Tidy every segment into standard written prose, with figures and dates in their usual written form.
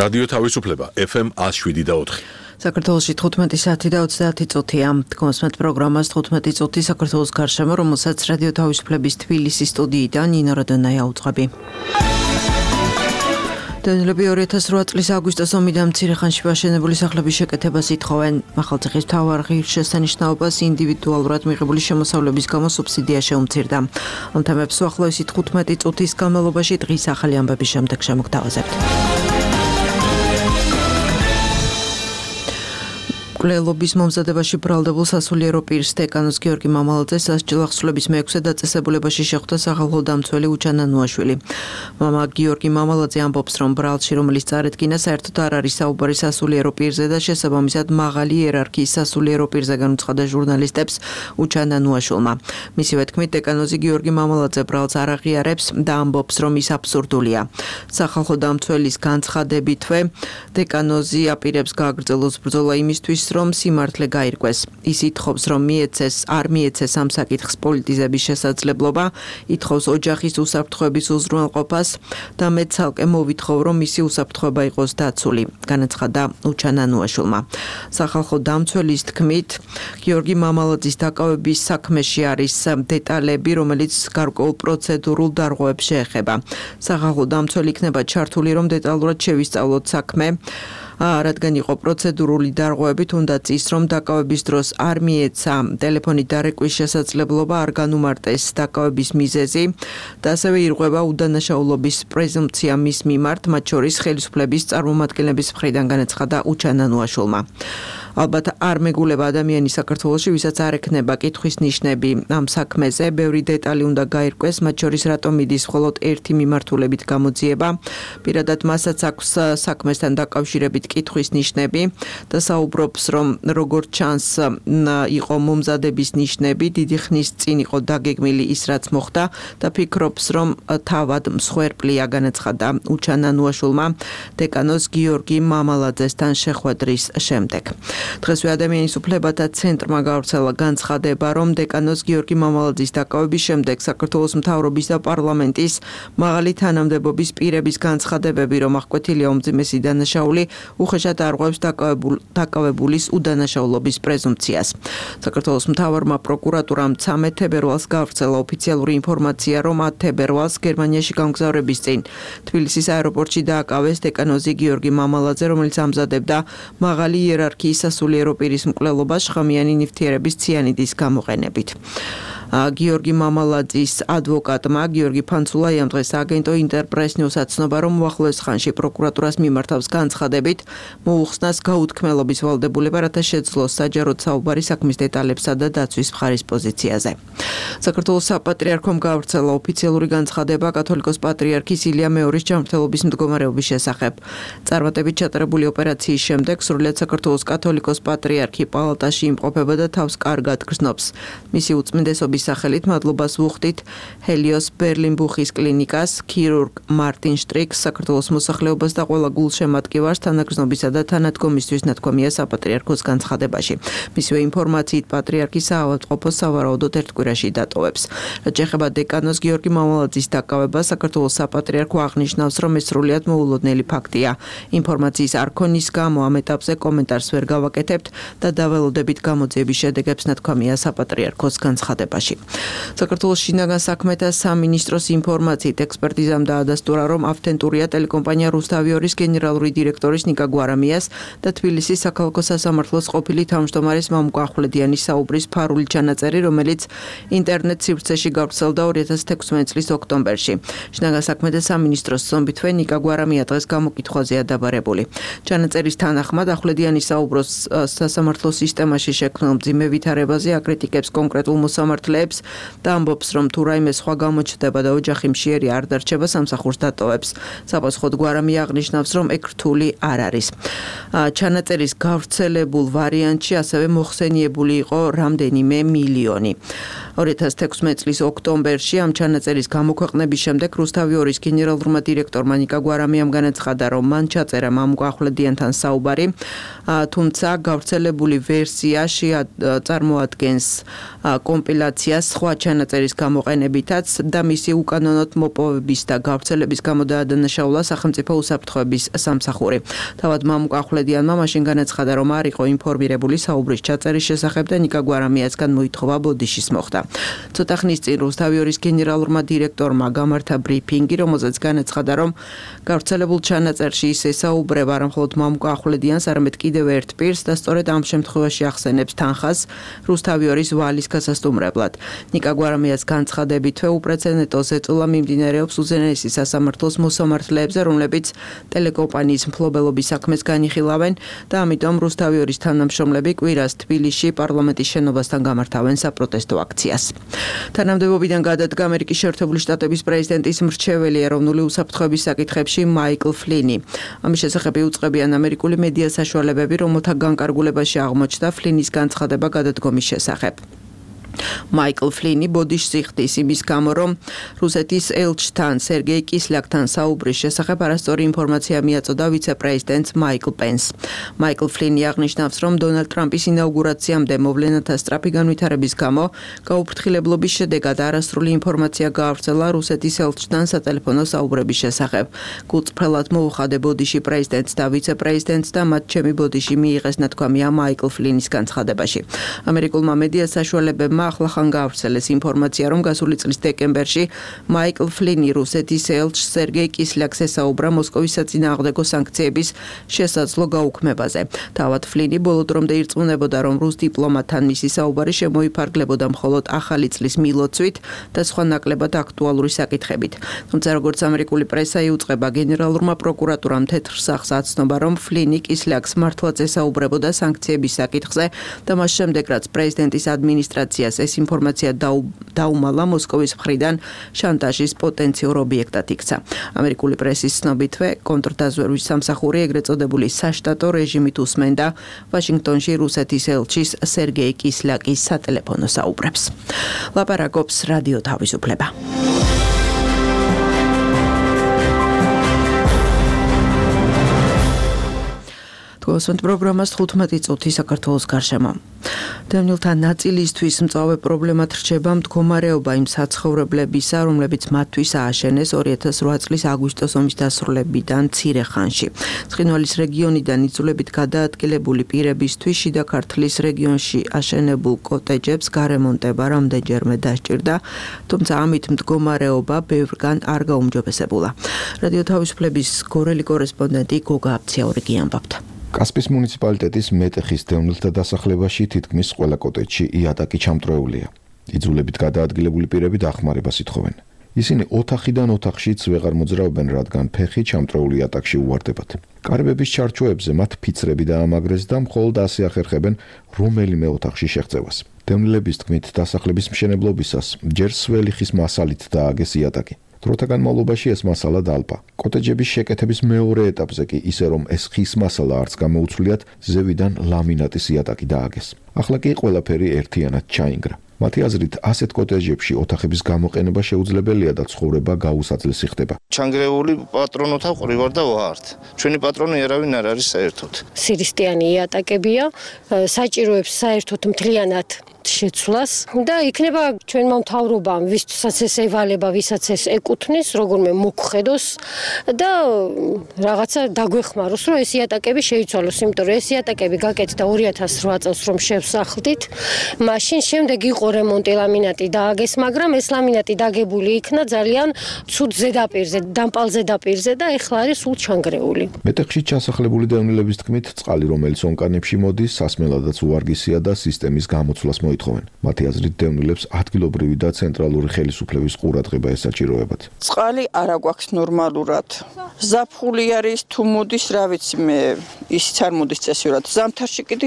რადიო თავისუფლება FM 107.4. საქართველოში 15 საათი და 30 წუთია. კონსმეთ პროგრამას 15 წუთი საქართველოს გარშემო, რომელსაც რადიო თავისუფლების თბილისის სტუდიიდან ნინო რადონაია უძღვები. დევნილები 2008 წლის აგვისტოს ომიდან მცირე ხანში ვაშენებული სახლების შეკეთებას ითხოვენ. ახალციხის მთავარ ღირსშესანიშნაობას ინდივიდუალურად მიღებული შემოსავლების გამო სუბსიდია შეუმცირდა. ამ თემებს უახლოესი 15 წუთის განმავლობაში დღის ახალი ამბების შემდეგ შემოგთავაზებთ. მკვლელობის მომზადებაში ბრალდებულ სასულიერო პირს დეკანოს გიორგი მამალაძეს სასჯელ ახსნილების მე-6 დაწესებულებაში შეხვდა სახალხო დამცველი უჩანა ნუაშვილი. მამა გიორგი მამალაძე ამბობს, რომ ბრალში, რომელიც წარედგინა, საერთოდ არ არის საუბარი სასულიერო პირზე და შესაბამისად მაღალი იერარქიის სასულიერო პირზე განუცხადა ჟურნალისტებს უჩანა ნუაშვილმა. მისივე თქმით, დეკანოზი გიორგი მამალაძე ბრალს არ აღიარებს და ამბობს, რომ ის აბსურდულია. სახალხო დამცველის განცხადებითვე დეკანოზი აპირებს გააგრძელოს ბრძოლა იმისთვის, რომ სიმართლე გაირკვეს. ის ითხოვს, რომ არ მიეცეს ამ საკითხს პოლიტიზების შესაძლებლობა, ითხოვს ოჯახის უსაფრთხოების უზრუნველყოფას და მე ცალკე მოვითხოვ, რომ მისი უსაფრთხოება იყოს დაცული, განაცხადა უჩანა ნუაშვილმა. სახალხო დამცველის თქმით, გიორგი მამალაძის დაკავების საქმეში არის დეტალები, რომელიც გარკვეულ პროცედურულ დარღვევებს შეეხება. სახალხო დამცველი იქნება ჩართული, რომ დეტალურად შევისწავლოთ საქმე. რადგან იყო პროცედურული დარღვევები, თუნდაც ის, რომ დაკავების დროს არ მიეცა ტელეფონით დარეკვის შესაძლებლობა, არ განუმარტეს დაკავების მიზეზი და ასევე ირღვევა უდანაშაულობის პრეზუმპცია მის მიმართ, მათ შორის ხელისუფლების წარმომადგენლების მხრიდან, განაცხადა უჩანა ნუაშვილმა. ალბათ არ მეგულება ადამიანი საქართველოში, ვისაც არ ექნება კითხვის ნიშნები ამ საქმეზე, ბევრი დეტალი უნდა გაირკვეს, მათ შორის რატომ მიდის მხოლოდ ერთი მიმართულებით გამოძიება. პირადად მასაც აქვს საქმესთან დაკავშირებით კითხვის ნიშნები და საუბრობს, რომ როგორც ჩანს იყო მომზადების ნიშნები, დიდი ხნის წინ იყო დაგეგმილი ის, რაც მოხდა და ფიქრობს, რომ თავად მსხვერპლია, განაცხადა უჩანა ნუაშვილმა დეკანოს გიორგი მამალაძესთან შეხვედრის შემდეგ. დღესვე ადამიანის უფლებათა ცენტრმა გავრცელა განცხადება, რომ დეკანოს გიორგი მამალაძის დაკავების შემდეგ საქართველოს მთავრობის და პარლამენტის მაღალი თანამდებობის პირების განცხადებები, რომ აღკვეთილია უმძიმესი დანაშაული, უხეშად არღვევს დაკავებულის უდანაშაულობის პრეზუმპციას. საქართველოს მთავარმა პროკურატურამ 13 თებერვალს გავრცელა ოფიციალური ინფორმაცია, რომ 10 თებერვალს გერმანიაში გამგზავრების წინ თბილისის აეროპორტში დააკავეს დეკანოზი გიორგი მამალაძე, რომელიც ამზადებდა მაღალი იერარქიის სასულიერო პირის მკვლელობას შხამიანი ნივთიერების ციანიდის გამოყენებით. გიორგი მამალაძის ადვოკატმა გიორგი ფანცულაიამ დღეს აგენტო ინტერპრეს-ნიუსს აცნობა, რომ უახლოეს ხანში პროკურატურას მიმართავს განცხადებით მოუხსნას გაუთქმელობის ვალდებულება, რათა შეძლოს საჯაროდ საუბარი საქმის დეტალებსა და დაცვის მხარის პოზიციაზე. საქართველოს საპატრიარქომ გავრცელა ოფიციალური განცხადება კათოლიკოს პატრიარქის ილია მეორის ჯანმრთელობის მდგომარეობის შესახებ. წარმატებით ჩატარებული ოპერაციის შემდეგ სრულიად საქართველოს კათოლიკოს პატრიარქი პალატაში იმყოფება და თავს კარგად გრძნობს. მისი უწმინდესობის სახელით მადლობას ვუხდით ჰელიოს ბერლინბუხის კლინიკას, ქირურგ მარტინ შტრიქს, საქართველოს მოსახლეობას და ყველა გულშემატკივარს თანაგრძნობისა და თანადგომისთვის ნათქვამია საპატრიარქოს განცხადებაში. მისივე ინფორმაციით პატრიარქი საავადმყოფოს სავარაუდოდ ერთ კვირაში დატოვებს. რაც შეეხება დეკანოს გიორგი მამალაძის დაკავებას, საქართველოს საპატრიარქო აღნიშნავს, რომ ეს სრულიად მოულოდნელი ფაქტია. ინფორმაციის არ ქონის გამო ამ ეტაპზე კომენტარს ვერ გავაკეთებთ და დაველოდებით გამოძიების შედეგებს, ნათქვამია საპატრიარქოს განცხადებაში. საქართველოს შინაგან საქმეთა სამინისტროს ინფორმაციით ექსპერტიზამ დაადასტურა, რომ ავთენტურია ტელეკომპანია რუსთავიორის გენერალური დირექტორის ნიკა გვარამიას და თბილისის საქალაქო სასამართლოს ყოფილი თავმჯდომარის მამუკა ახვლედიანის საუბრის ფარული ჩანაწერი, რომელიც ინტერნეტ სივრცეში გავრცელდა 2016 წლის ოქტომბერში. შინაგან საქმეთა სამინისტროს ზომბითვე ნიკა გვარამია დღეს გამოკითხვაზეა დაბარებული. ჩანაწერის თანახმად ახვლედიანის საუბროს სასამართლოს სისტემაში შექმნილ მძიმე ვითარებაზე აკრიტიკებს კონკრეტულ მოსამართლეებს და ამბობს, რომ თუ რაიმე სხვა გამოჩნდება და ოჯახი მშიერი არ დარჩება, სამსახურს დატოვებს. საპასუხოდ გვარამია აღნიშნავს, რომ ეგ რთული არ არის. ჩანაწერის გავრცელებულ ვარიანტში ასევე მოხსენიებული იყო რამდენიმე მილიონი. 2016 წლის ოქტომბერში ამ ჩანაწერის გამოქვეყნების შემდეგ რუსთავი 2-ის გენერალურმა დირექტორმა ნიკა გვარამიამ განაცხადა, რომ მან ჩაწერა მამუკა ახვლედიანთან საუბარი, თუმცა გავრცელებული ვერსია წარმოადგენს კომპილაციას სხვა ჩანაწერის გამოყენებითაც და მისი უკანონოდ მოპოვების და გავრცელების გამო დაადანაშაულა სახელმწიფო უსაფრთხოების სამსახური. თავად მამუკა ახვლედიანმა მაშინ განაცხადა, რომ არ იყო ინფორმირებული საუბრის ჩაწერის შესახებ და ნიკა გვარამიასგან მოითხოვა ბოდიშის მოხდა. ცოტა ხნის წინ რუსთავი 2-ის გენერალურმა დირექტორმა გამართა ბრიფინგი, რომელზეც განაცხადა, რომ გავრცელებულ ჩანაწერში ის ესაუბრება არა მხოლოდ მამუკა ახვლედიანს, არამედ კიდევ ერთ პირს და სწორედ ამ შემთხვევაში ახსენებს თანხას რუსთავი 2-ის ვალის გასასტუმრებლად. ნიკა გვარამიას განცხადებითვე უპრეცედენტო ზეწოლა მიმდინარეობს უზენაესი სასამართლოს მოსამართლეებზე, რომლებიც ტელეკომპანიის მფლობელობის საქმეს განიხილავენ და ამიტომ რუსთავი 2-ის თანამშრომლები კვირას თბილისში პარლამენტის შენობასთან გამართავენ საპროტესტო აქციას. თანამდებობიდან გადადგა ამერიკის შეერთებული შტატების პრეზიდენტის მრჩეველი ეროვნული უსაფრთხოების საკითხებში მაიკლ ფლინი. ამის შესახებ იუწყებიან ამერიკული მედია საშუალებები, რომელთა განკარგულებაში აღმოჩნდა ფლინის განცხადება გადადგომის შესახებ. მაიკლ ფლინი ბოდიშს იხდის იმის გამო, რომ რუსეთის ელჩთან სერგეი კისლიაკთან საუბრის შესახებ არასწორი ინფორმაცია მიაწოდა ვიცე-პრეზიდენტს მაიკლ პენს. მაიკლ ფლინი აღნიშნავს, რომ დონალდ ტრამპის ინაუგურაციამდე მოვლენათა სწრაფი განვითარების გამო გაუფრთხილებლობის შედეგად არასრული ინფორმაცია გაავრცელა რუსეთის ელჩთან სატელეფონო საუბრების შესახებ. გულწრფელად მოუხადე ბოდიში პრეზიდენტს და ვიცე-პრეზიდენტს და მათ ჩემი ბოდიში მიიღეს ნათქვამია მაიკლ ფლინის განცხადებაში. ამერიკულმა მედია საშუალებებმა ახლახან გაავრცელეს ინფორმაცია, რომ გასული წლის დეკემბერში მაიკლ ფლინი რუსეთის ელჩს სერგეი კისლიაკს ესაუბრა მოსკოვის საწინააღმდეგო სანქციების შესაძლო გაუქმებაზე. თავად ფლინი ბოლო დრომდე ირწმუნებოდა, რომ რუს დიპლომატთან მისი საუბარი შემოიფარგლებოდა მხოლოდ ახალი წლის მილოცვით და სხვა ნაკლებად აქტუალური საკითხებით. თუმცა როგორც ამერიკული პრესა იუწყება, გენერალურმა პროკურატურამ თეთრ სახს აცნობა, რომ ფლინი კისლიაკს მართლაც ესაუბრებოდა სანქციების საკითხზე და მას შემდეგ, რაც პრეზიდენტის ადმინისტრაციას ეს ინფორმაცია დაუმალა, მოსკოვის მხრიდან შანტაჟის პოტენციურ ობიექტად იქცა. ამერიკული პრესის ცნობითვე, კონტრდაზვერვის სამსახური ეგრეთ წოდებული საშტატო რეჟიმით უსმენდა ვაშინგტონში რუსეთის ელჩის სერგეი კისლიაკის სატელეფონო საუბრებს. ლაპარაკობს რადიო თავისუფლება. გასვენთ პროგრამას 15 წუთი საქართველოს გარშემო. დევნილთა ნაწილისთვის მწვავე პრობლემად რჩება მდგომარეობა იმ საცხოვრებლებისა, რომლებიც მათთვის ააშენეს 2008 წლის აგვისტოს ომის დასრულებიდან მცირე ხანში. ცხინვალის რეგიონიდან იძულებით გადაადგილებული პირებისთვის შიდა ქართლის რეგიონში აშენებულ კოტეჯებს გარემონტება რამდენჯერმე დასჭირდა, თუმცა ამით მდგომარეობა ბევრგან არ გაუმჯობესებულა. რადიო თავისუფლების გორელი კორესპონდენტი გოგა აბციაურიგი ამბობდა. კასპის მუნიციპალიტეტის მეტეხის დევნილთა დასახლებაში თითქმის ყველა კოტეჯში იატაკი ჩამწრეულია. იძულებით გადაადგილებული პირები დახმარებას ითხოვენ. ისინი ოთახიდან ოთახშიც ვეღარ მოძრაობენ, რადგან ფეხი ჩამწრეულ იატაკში უვარდებათ. კარებების ჩარჩოებზე მათ ფიცრები დაამაგრეს და მხოლოდ ასე ახერხებენ რომელიმე ოთახში შეღწევას. დევნილების თქმით, დასახლების მშენებლობისას ჯერ სველი ხის მასალით დააგეს იატაკი. დროთა განმავლობაში ეს მასალა დალპა. კოტეჯების შეკეთების მეორე ეტაპზე კი ისე რომ ეს ხის მასალა არც გამოუცვლიათ, ზევიდან ლამინატის იატაკი დააგეს. ახლა კი ყველაფერი ერთიანად ჩაინგრა. მათი აზრით, ასეთ კოტეჯებში ოთახების გამოყენება შეუძლებელია და ცხოვრება გაუსაძლესი ხდება. ჩანგრეული პატრონოთა ყრივარ და ვართ. ჩვენი პატრონი ერავინ არ არის საერთოდ. სირისტიანი იატაკებია, საჭიროებს საერთოდ მთლიანად შეცვლას და იქნება ჩვენმა მთავრობამ, ვისაც ეს ევალება, ვისაც ეს ეკუთვნის, როგორმე მოგხედოს და რაღაცა დაგვეხმაროს, რომ ეს იატაკები შეიცვალოს, იმიტომ რომ ეს იატაკები გაკეთდა 2008 წელს რომ შევსახლდით, მაშინ შემდეგ იყო რემონტი, ლამინატი დააგეს, მაგრამ ეს ლამინატი დაგებული იქნა ძალიან ცუდ ზედაპირზე, დამპალ ზედაპირზე და ეხლა არის სულ ჩანგრეული. მეტეხში ჩასახლებული დევნილების თქმით, წყალი, რომელიც ონკანებში მოდის, სასმელადაც უვარგისია და სისტემის გამოცვლას მოითხოვენ. მათი აზრით, დევნილებს ადგილობრივი და ცენტრალური ხელისუფლების ყურადღება ესაჭიროებათ. წყალი არ აგვაქვს ნორმალურად. ზაფხული არის, თუ მოდის, რა ვიცი მე, ისიც არ მოდის წესიურად. ზამთარში კიდე,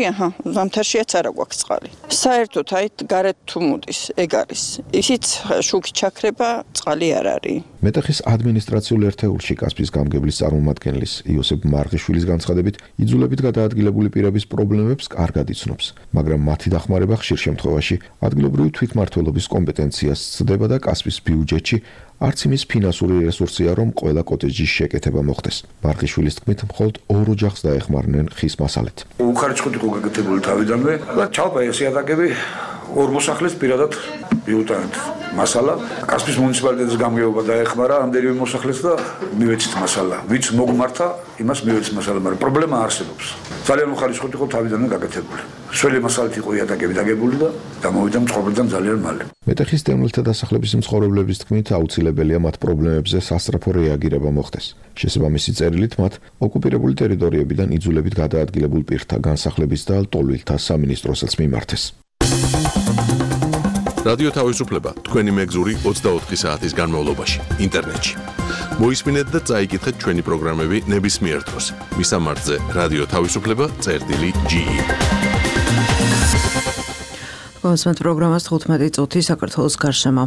ზამთარშიაც არ აგვაქვს წყალი. საერთოდ, აი, გარეთ თუ მოდის, ეგ არის. ისიც შუქი ჩაქრება, წყალი არ არის. მეტეხის ადმინისტრაციულ ერთეულში კასპის გამგებლის წარმომადგენლის იოსებ მარღიშვილის განცხადებით, იძულებით გადაადგილებული პირების პრობლემებს კარგად იცნობს, მაგრამ მათი დახმარება ხშირ შემთხვევაში ადგილობრივი თვითმმართველობის კომპეტენციას სცდება და კასპის ბიუჯეტში არც იმის ფინანსური რესურსია, რომ ყველა კოტეჯის შეკეთება მოხდეს. მარღიშვილის თქმით, მხოლოდ 2 ოჯახს დაეხმარნენ ხის მასალით. უხარიჭყოდ იყო გაკეთებული თავიდანვე და ჩალპა ეს იატაკები 2 მოსახლეს პირადად მიუტანეთ მასალა. კასპის მუნიციპალიტეტის გამგეობა დაეხმარა ამდენივე მოსახლეს და მივეცით მასალა. ვიც მოგმართა, იმას მივეცით მასალა, მაგრამ პრობლემა არსებობს. ძალიან უხარიჭყოდ იყო თავიდანვე გაკეთებული. სველი მასალით იყო იატაკები დაგებული და გამოვიდა მწყობრიდან ძალიან მალე. მეტეხის დევნილთა დასახლების მცხოვრებლების თქმით, აუცილებელია მათ პრობლემებზე სასწრაფო რეაგირება მოხდეს. შესაბამისი წერილით მათ ოკუპირებული ტერიტორიებიდან იძულებით გადაადგილებულ პირთა განსახლების და ლტოლვილთა სამინისტროსაც მიმართეს. რადიო თავისუფლება თქვენი მეგზური 24 საათის განმავლობაში ინტერნეტში. მოისმინეთ და წაიკითხეთ ჩვენი პროგრამები ნებისმიერ დროს. მისამართზე რადიო თავისუფლება.ge კონსმეთ პროგრამას 15 წუთი საქართველოს გარშემო.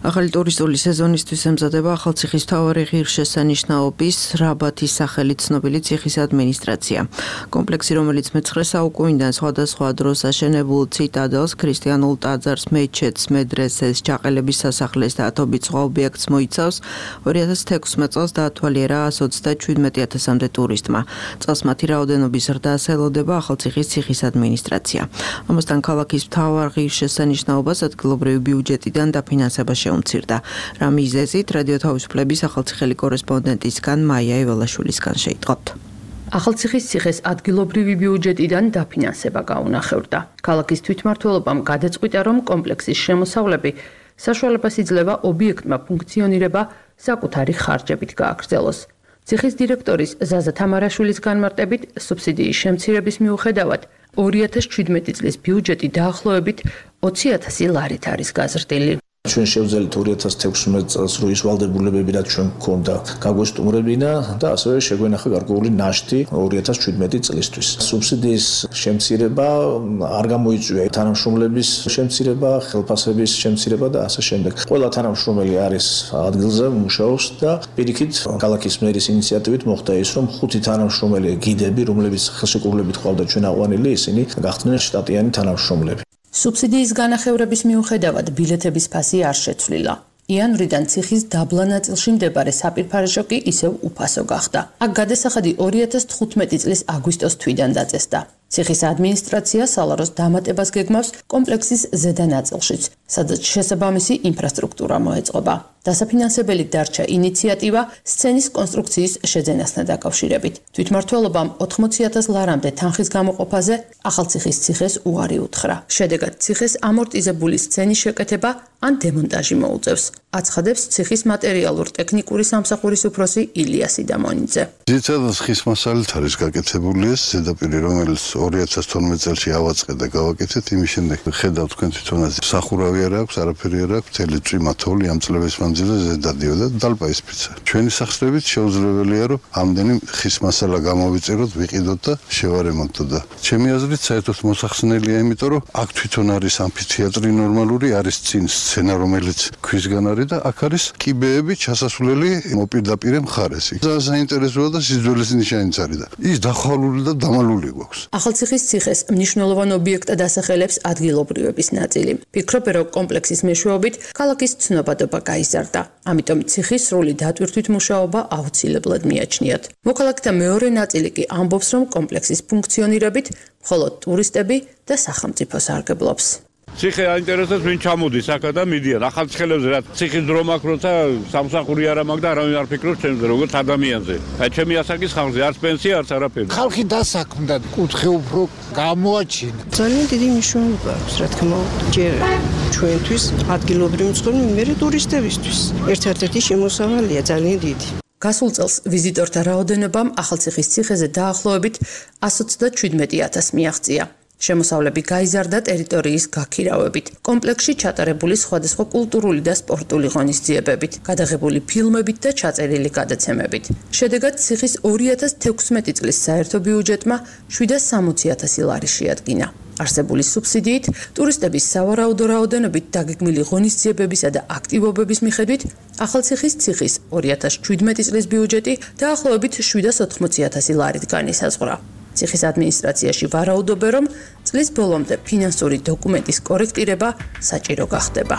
ახალი ტურისტული სეზონისთვის ემზადება ახალციხის მთავარი ღირსშესანიშნაობის რაბათის სახელით ცნობილი ციხის ადმინისტრაცია. კომპლექსი, რომელიც მე-9 საუკუნიდან სხვადასხვა დროს აშენებულ ციტადელს, ქრისტიანულ ტაძარს, მეჩეთს, მედრესეს, ჯაყელების სასახლეს და ათობით სხვა ობიექტს მოიცავს, 2016 წელს დაათვალიერა 127,000-მდე ტურისტმა. წელს მათი რაოდენობის ზრდას ელოდება ახალციხის ციხის ადმინისტრაცია. ამასთან ქალაქის მთავარ ღირსშესანიშნაობას ადგილობრივი ბიუჯეტიდან დაფინანსება შეუმცირდა. რა მიზეზით რადიო თავისუფლების ახალციხელი კორესპონდენტისგან მაია ეველაშვილისგან შეიტყობთ. ახალციხის ციხეს ადგილობრივი ბიუჯეტიდან დაფინანსება გაუნახევრდა. ქალაქის თვითმმართველობამ გადაწყვიტა, რომ კომპლექსის შემოსავლები საშუალებას იძლევა ობიექტმა ფუნქციონირება საკუთარი ხარჯებით გააგრძელოს. ციხის დირექტორის ზაზა თამარაშვილის განმარტებით, სუბსიდიის შემცირების მიუხედავად 2017 წლის ბიუჯეტი დაახლოებით 20,000 ლარით არის გაზრდილი. ჩვენ შევძელით 2016 წელს რო ის ვალდებულებები რაც ჩვენ გქონდა გაგვესტუმრებინა და ასევე შეგვენახა გარკვეული ნაშთი 2017 წლისთვის. სუბსიდიის შემცირება არ გამოიწვია თანამშრომლების შემცირება, ხელფასების შემცირება და ასე შემდეგ. ყველა თანამშრომელი არის ადგილზე მუშაობს და პირიქით ქალაქის მერის ინიციატივით მოხდა ის, რომ 5 თანამშრომელი გიდები, რომლებიც ხელშეკრულებით ყავდა ჩვენ აყვანილი, ისინი გახდნენ შტატიანი თანამშრომლები. სუბსიდიის განახევრების მიუხედავად ბილეთების ფასი არ შეცვლილა. იანვრიდან ციხის დაბლა ნაწილში მდებარე საპირფარეშო კი ისევ უფასო გახდა. აქ გადასახადი 2015 წლის აგვისტოს თვიდან დაწესდა. ციხის ადმინისტრაცია სალაროს დამატებას გეგმავს კომპლექსის ზედა ნაწილშიც, სადაც შესაბამისი ინფრასტრუქტურა მოეწყობა. დასაფინანსებელი დარჩა ინიციატივა სცენის კონსტრუქციის შეძენასთან დაკავშირებით. თვითმმართველობამ 80,000 ლარამდე თანხის გამოყოფაზე ახალციხის ციხეს უარი უთხრა. შედეგად ციხეს ამორტიზებული სცენის შეკეთება ან დემონტაჟი მოუწევს. აცხადებს ციხის მატერიალურ-ტექნიკური სამსახურის უფროსი ილია სიდამონიძე. ძირითადად ხის მასალით არის გაკეთებული ეს ზედაპირი, რომელიც 2012 წელს ავაწყე და გავაკეთეთ. იმის შემდეგ ხედავთ თქვენ თვითონაც სახურავი არ აქვს, არაფერი არ აქვს, მთელი წვიმა თოვლი ამ წლების მანძილზე ზედადიოდა და დალპა ისფიცა. ჩვენი სახსრებით შეუძლებელია, რომ ამდენი ხის მასალა გამოვიწეროთ, ვიყიდოთ და შევარემონტოთ და ჩემი აზრით საერთოდ მოსახსნელია, იმიტომ რომ აქ თვითონ არის ამფითეატრი ნორმალური, არის წინ სცენა, რომელიც ქვისგან არის და აქ არის კიბეები ჩასასვლელი მოპირდაპირე მხარესი. საინტერესოა და სიძველეს ნიშანიც არის და ის დახვალული და დამალული გვაქვს. ახალციხის ციხეს მნიშვნელოვან ობიექტად ასახელებს ადგილობრივების ნაწილი. ფიქრობენ, რომ კომპლექსის მეშვეობით ქალაქის ცნობადობა გაიზარდა. ამიტომ ციხის სრული დატვირთვით მუშაობა აუცილებლად მიაჩნიათ. მოქალაქეთა მეორე ნაწილი კი ამბობს, რომ კომპლექსის ფუნქციონირებით მხოლოდ ტურისტები და სახელმწიფო სარგებლობს. ციხე აინტერესებს ვინ ჩამოდის აქა და მიდიან ახალციხელებზე რა ციხის დრო მაქვს როცა სამსახური არ მაქვს და არავინ არ ფიქრობს ჩემზე როგორც ადამიანზე. აი ჩემი ასაკის ხალხზე არც პენსია არც არაფერი. ხალხი დასაქმდა კუთხე უფრო გამოაჩინა. ძალიან დიდი მნიშვნელობა აქვს რა თქმა უნდა ჯერ ჩვენთვის ადგილობრივი მცხოვრები მე ტურისტებისთვის. ერთ-ერთი შემოსავალია ძალიან დიდი. გასულ წელს ვიზიტორთა რაოდენობამ ახალციხის ციხეზე დაახლოებით 127,000 მიაღწია. შემოსავლები გაიზარდა ტერიტორიის გაქირავებით, კომპლექსში ჩატარებული სხვადასხვა კულტურული და სპორტული ღონისძიებებით, გადაღებული ფილმებით და ჩაწერილი გადაცემებით. შედეგად ციხის 2016 წლის საერთო ბიუჯეტმა 760,000 ლარი შეადგინა. არსებული სუბსიდიით, ტურისტების სავარაუდო რაოდენობით დაგეგმილი ღონისძიებებისა და აქტივობების მიხედვით, ახალციხის ციხის 2017 წლის ბიუჯეტი დაახლოებით 780,000 ლარით განისაზღვრა. ციხის ადმინისტრაციაში ვარაუდობენ, რომ წლის ბოლომდე ფინანსური დოკუმენტის კორექტირება საჭირო გახდება.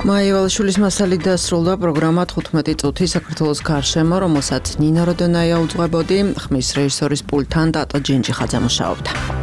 მაია ვალაშვილის მასალით დასრულდა პროგრამა 15 წუთი საქართველოს გარშემო, რომელსაც ნინა როდონაია უძღვებოდი, ხმის რეჟისორის პულტთან დატო ჯინჯიხაძე მუშაობდა.